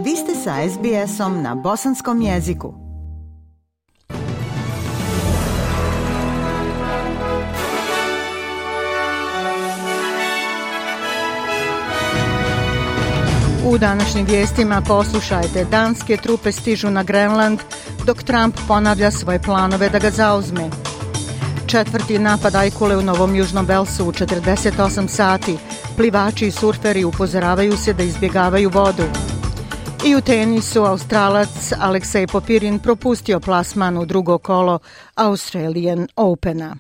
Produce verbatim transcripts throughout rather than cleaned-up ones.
Vi ste sa es be esom na bosanskom jeziku. U današnjim vijestima poslušajte, danske trupe stižu na Grenland dok Trump ponavlja svoje planove da ga zauzme. Četvrti napad ajkule u Novom Južnom Velsu u četrdeset osam sati. Plivači i surferi upozoravaju se da izbjegavaju vodu. I u tenisu Australac Aleksej Popirin propustio plasman u drugo kolo Australian Opena.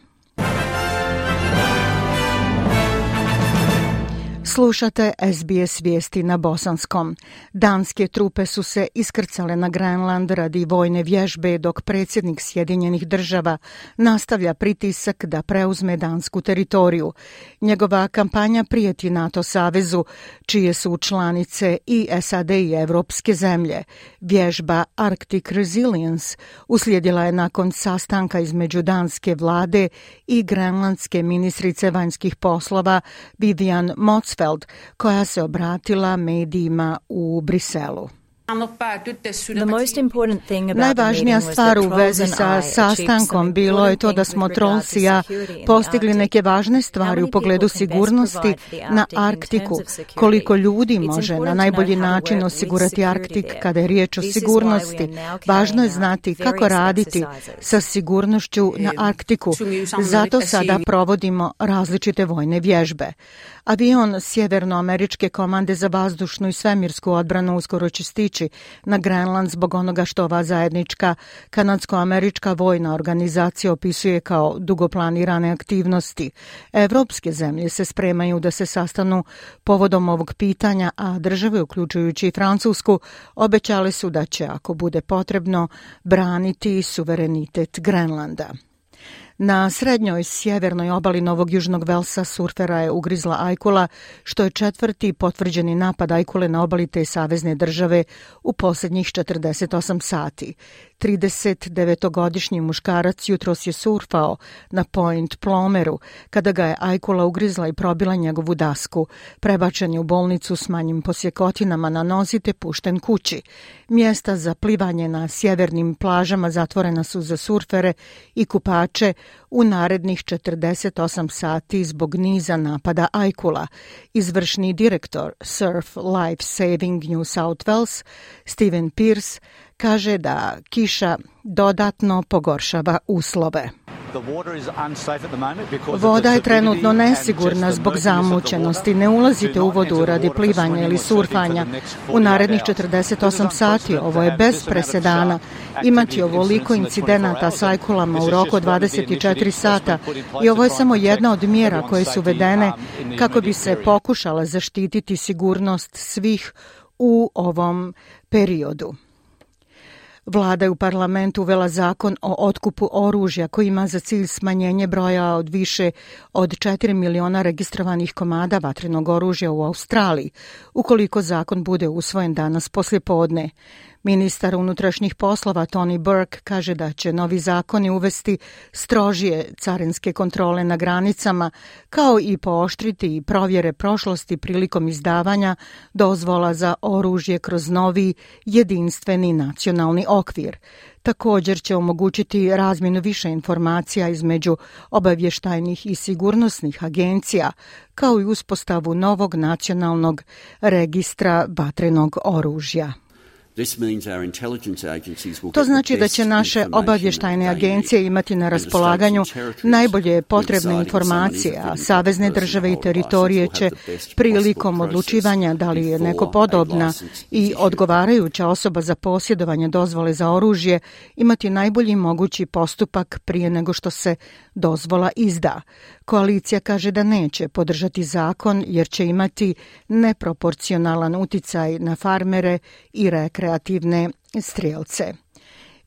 Slušate es be es vijesti na bosanskom. Danske trupe su se iskrcale na Grenland radi vojne vježbe dok predsjednik Sjedinjenih država nastavlja pritisak da preuzme dansku teritoriju. Njegova kampanja prijeti NATO savezu, čije su članice i es a de i evropske zemlje. Vježba Arctic Resilience uslijedila je nakon sastanka između danske vlade i grenlandske ministrice vanjskih poslova Vivian Motzfeldt, koja se obratila medijima u Briselu. Najvažnija stvar u vezi sa sastankom bilo je to da smo Trolls i ja postigli neke važne stvari u pogledu sigurnosti na Arktiku. Koliko ljudi može na najbolji način osigurati Arktik kada je riječ o sigurnosti. Važno je znati kako raditi sa sigurnošću na Arktiku. Zato sada provodimo različite vojne vježbe. Avion Sjevernoameričke komande za vazdušnu i svemirsku odbranu uskoro će stići na Grenland zbog onoga što ova zajednička kanadsko-američka vojna organizacija opisuje kao dugo planirane aktivnosti. Evropske zemlje se spremaju da se sastanu povodom ovog pitanja, a države, uključujući i Francusku, obećale su da će, ako bude potrebno, braniti suverenitet Grenlanda. Na srednjoj sjevernoj obali Novog Južnog Velsa surfera je ugrizla ajkula, što je četvrti potvrđeni napad ajkule na obali te savezne države u posljednjih četrdeset osam sati. tridesetdevetogodišnji muškarac jutros je surfao na Point Plomeru kada ga je ajkula ugrizla i probila njegovu dasku. Prebačen je u bolnicu s manjim posjekotinama na nozi te pušten kući. Mjesta za plivanje na sjevernim plažama zatvorena su za surfere i kupače u narednih četrdeset osam sati zbog niza napada ajkula. Izvršni direktor Surf Life Saving New South Wales, Steven Pierce, kaže da kiša dodatno pogoršava uslove. Voda je trenutno nesigurna zbog zamućenosti. Ne ulazite u vodu radi plivanja ili surfanja. U narednih četrdeset osam sati, ovo je bez presedana, imati ovoliko incidenata s ajkulama u roku dvadeset četiri sata i ovo je samo jedna od mjera koje su uvedene kako bi se pokušala zaštititi sigurnost svih u ovom periodu. Vlada je u parlamentu uvela zakon o otkupu oružja koji ima za cilj smanjenje broja od više od četiri miliona registrovanih komada vatrenog oružja u Australiji, ukoliko zakon bude usvojen danas poslijepodne. Ministar unutrašnjih poslova Tony Burke kaže da će novi zakoni uvesti strožije carinske kontrole na granicama, kao i pooštriti provjere prošlosti prilikom izdavanja dozvola za oružje kroz novi jedinstveni nacionalni okvir. Također će omogućiti razmjenu više informacija između obavještajnih i sigurnosnih agencija, kao i uspostavu novog nacionalnog registra vatrenog oružja. To znači da će naše obavještajne agencije imati na raspolaganju najbolje potrebne informacije, a savezne države i teritorije će prilikom odlučivanja da li je neko podobna i odgovarajuća osoba za posjedovanje dozvole za oružje imati najbolji mogući postupak prije nego što se dozvola izda. Koalicija kaže da neće podržati zakon jer će imati neproporcionalan uticaj na farmere i rekreativne strijelce.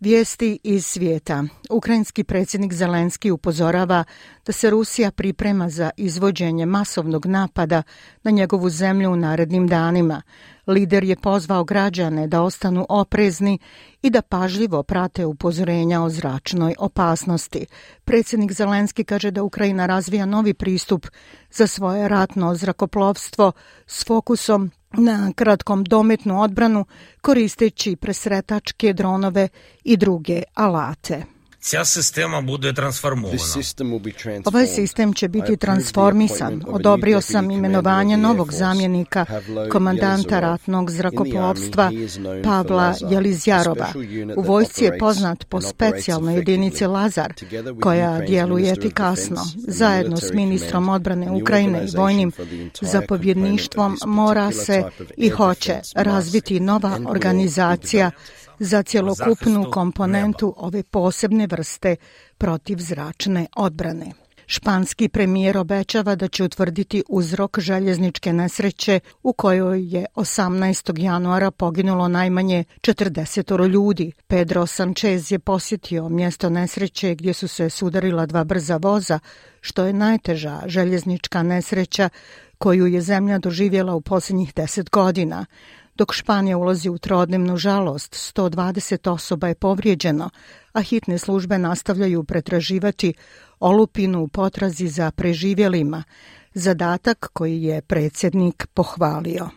Vijesti iz svijeta. Ukrajinski predsjednik Zelenski upozorava da se Rusija priprema za izvođenje masovnog napada na njegovu zemlju u narednim danima. Lider je pozvao građane da ostanu oprezni i da pažljivo prate upozorenja o zračnoj opasnosti. Predsjednik Zelenski kaže da Ukrajina razvija novi pristup za svoje ratno zrakoplovstvo s fokusom na kratkom dometnu odbranu koristeći presretačke dronove i druge alate. Ця система буде трансформована. Ovaj sistem će biti transformisan. Odobrio sam imenovanje novog zamjenika komandanta ratnog zrakoplovstva Pavla Jelizjarova. U vojsci je poznat po specijalnoj jedinici Lazar, koja djeluje efikasno. Zajedno s ministrom odbrane Ukrajine i vojnim zapovjedništvom mora se i hoće razviti nova organizacija za cjelokupnu komponentu ove posebne vrste protivzračne odbrane. Španski premijer obećava da će utvrditi uzrok željezničke nesreće u kojoj je osamnaestog januara poginulo najmanje četrdeset ljudi. Pedro Sanchez je posjetio mjesto nesreće gdje su se sudarila dva brza voza, što je najteža željeznička nesreća koju je zemlja doživjela u posljednjih deset godina. Dok Španija ulazi u trodnevnu žalost, sto dvadeset osoba je povrijeđeno, a hitne službe nastavljaju pretraživati olupinu u potrazi za preživjelima, zadatak koji je predsjednik pohvalio.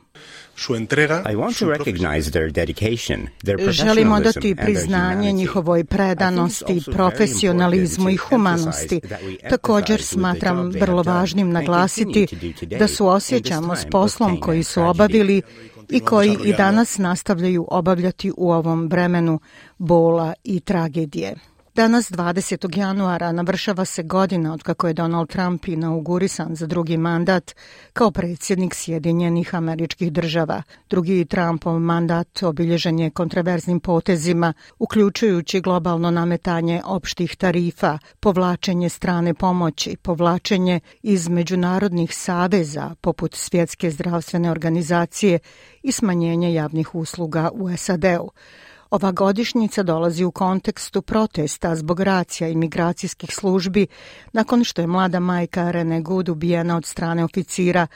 Želimo dati priznanje njihovoj predanosti, profesionalizmu i humanosti. Također smatram vrlo važnim naglasiti da suosjećamo s poslom koji su obavili i koji i danas nastavljaju obavljati u ovom vremenu bola i tragedije. Danas, dvadesetog januara, navršava se godina od kako je Donald Trump inaugurisan za drugi mandat kao predsjednik Sjedinjenih Američkih Država. Drugi Trumpov mandat obilježen je kontroverznim potezima, uključujući globalno nametanje opštih tarifa, povlačenje strane pomoći, povlačenje iz međunarodnih saveza poput Svjetske zdravstvene organizacije i smanjenje javnih usluga u S A D-u. Ova godišnjica dolazi u kontekstu protesta zbog racija i migracijskih službi nakon što je mlada majka Rene Good ubijena od strane oficira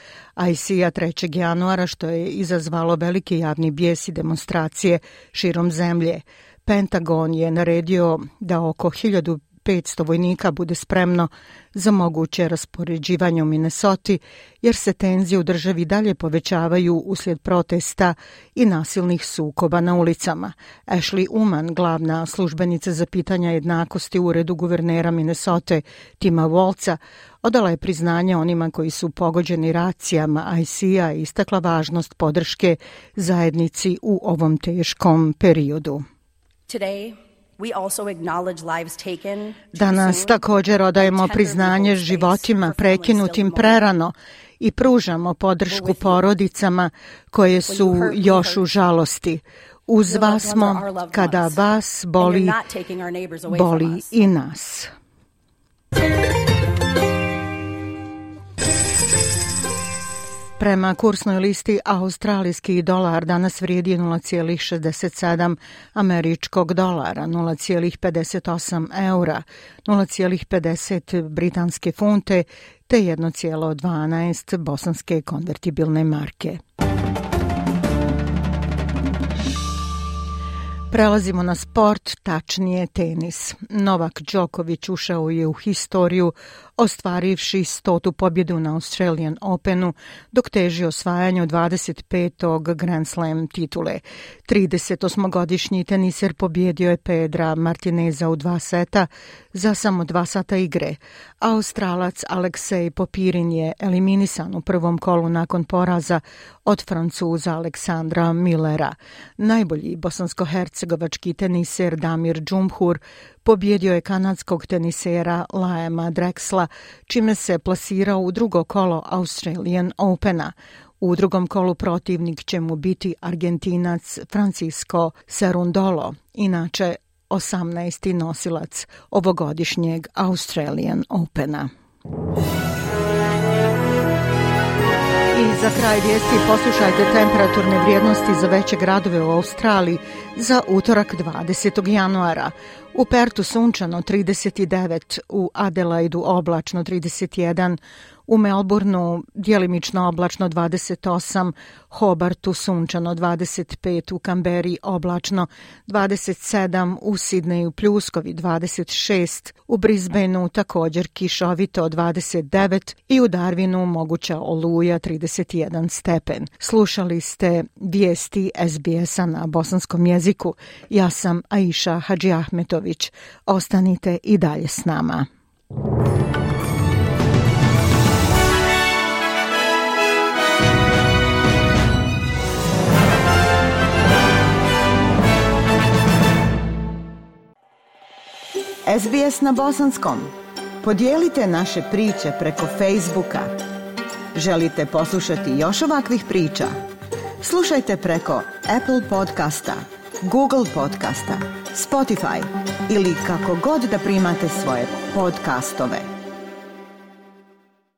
I C A trećeg januara, što je izazvalo veliki javni bijes i demonstracije širom zemlje. Pentagon je naredio da oko hiljadu petsto vojnika bude spremno za moguće raspoređivanje u Minnesoti, jer se tenzije u državi dalje povećavaju uslijed protesta i nasilnih sukoba na ulicama. Ashley Uman, glavna službenica za pitanja jednakosti u uredu guvernera Minnesote Tima Walza, odala je priznanje onima koji su pogođeni racijama I C A i istakla važnost podrške zajednici u ovom teškom periodu. Today, Danas također odajemo priznanje životima prekinutim prerano i pružamo podršku porodicama koje su još u žalosti. Uz vas smo kada vas boli, boli i nas. Prema kursnoj listi, australijski dolar danas vrijedi nula zarez šezdeset sedam američkog dolara, nula zarez pedeset osam eura, nula zarez pedeset britanske funte te jedan zarez dvanaest bosanske konvertibilne marke. Prelazimo na sport, tačnije tenis. Novak Đoković ušao je u historiju ostvarivši stotu pobjedu na Australian Openu, dok teži osvajanju dvadeset petog Grand Slam titule. tridesetosmogodišnji teniser pobjedio je Pedra Martineza u dva seta za samo dva sata igre. Australac Aleksej Popirin je eliminisan u prvom kolu nakon poraza od Francuza Aleksandra Millera. Najbolji bosansko-hercegovački teniser Damir Džumhur pobjedio je kanadskog tenisera Liama Drexla, čime se plasirao u drugo kolo Australian Opena. U drugom kolu protivnik će mu biti Argentinac Francisco Cerundolo, inače osamnaesti nosilac ovogodišnjeg Australian Opena. I za kraj vijesti poslušajte temperaturne vrijednosti za veće gradove u Australiji za utorak dvadesetog januara. U Pertu sunčano trideset devet, u Adelaidu oblačno trideset jedan, U Melbourneu djelimično oblačno dvadeset osam, Hobartu sunčano dvadeset pet, u Kamberi oblačno dvadeset sedam, u Sidneju pljuskovi dvadeset šest, u Brisbaneu također kišovito dvadeset devet i u Darwinu moguća oluja trideset jedan stepen. Slušali ste vijesti S B S-a na bosanskom jeziku. Ja sam Aisha Hadžiahmetović. Ostanite i dalje s nama. S B S na bosanskom. Podijelite naše priče preko Facebooka. Želite poslušati još ovakvih priča? Slušajte preko Apple podcasta, Google podcasta, Spotify ili kako god da primate svoje podcastove.